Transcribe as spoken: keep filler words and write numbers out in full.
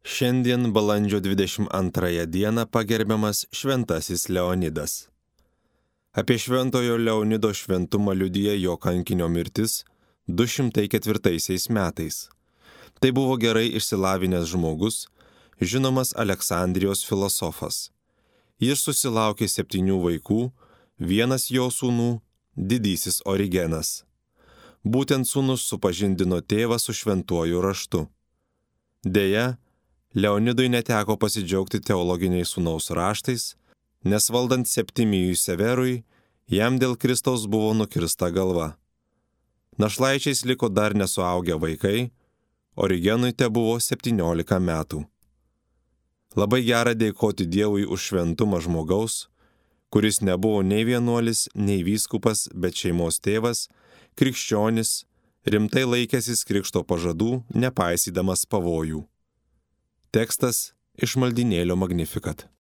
Šiandien balandžio dvidešimt antrąją dieną pagerbiamas Šventasis Leonidas. Apie Šventojo Leonido šventumą liudija jo kankinio mirtis du šimtai ketvirtaisiais metais. Tai buvo gerai išsilavinęs žmogus, žinomas Aleksandrijos filosofas. Jis susilaukė septynių vaikų, vienas jo sūnų – didysis Origenas. Būtent sūnus supažindino tėvą su šventuoju raštu. Deja, Leonidui neteko pasidžiaugti teologiniais sūnaus raštais, nes valdant Septimijui Severui, jam dėl Kristaus buvo nukirsta galva. Našlaičiais liko dar nesuaugę vaikai, Origenui tebuvo septyniolika metų. Labai gera dėkoti Dievui už šventumą žmogaus, kuris nebuvo nei vienuolis, nei vyskupas, bet šeimos tėvas, krikščionis, rimtai laikęsis krikšto pažadų, nepaisydamas pavojų. Tekstas iš maldynėlio Magnificat.